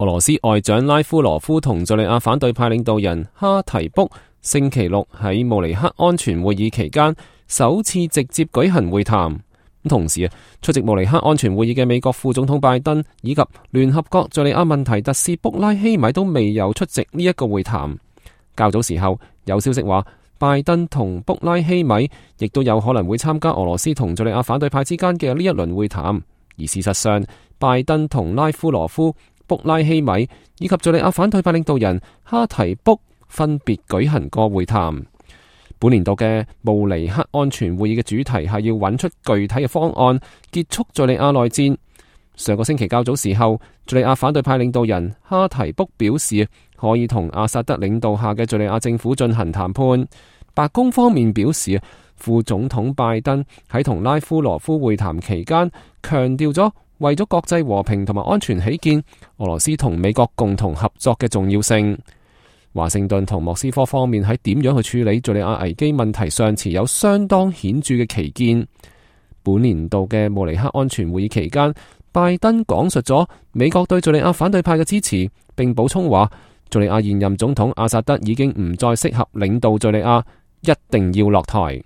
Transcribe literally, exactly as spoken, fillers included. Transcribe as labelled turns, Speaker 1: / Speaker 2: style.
Speaker 1: 俄羅斯外長拉夫羅夫同敘利亞反對派領導人哈提卜星期六喺慕尼黑安全會議期間首次直接舉行會談。同時啊，出席慕尼黑安全會議嘅美國副總統拜登以及聯合國敘利亞問題特使卜拉希米都未有出席呢一個會談。較早時候有消息話，拜登同卜拉希米亦都有可能會參加俄羅斯同敘利亞反對派之間嘅呢一輪會談。而事實上，拜登同拉夫羅夫、卜拉希米以及敘利亞反對派領導人哈提卜分別舉行過會談。本年度嘅慕尼黑安全會議嘅主題係要揾出具體嘅方案，結束敘利亞內戰。上個星期較早時候，敘利亞反對派領導人哈提卜表示可以同阿薩德領導下嘅敘利亞政府進行談判。白宮方面表示，副總統拜登喺同拉夫羅夫會談期間強調咗為咗國際和平同埋安全起見，俄羅斯同美國共同合作嘅重要性。華盛頓同莫斯科方面喺點樣去處理敘利亞危機問題上持有相當顯著嘅歧見。本年度嘅慕尼黑安全會議期間，拜登講述咗美國對敘利亞反對派嘅支持，並補充話敘利亞現任總統阿薩德已經唔再適合領導敘利亞，一定要落台。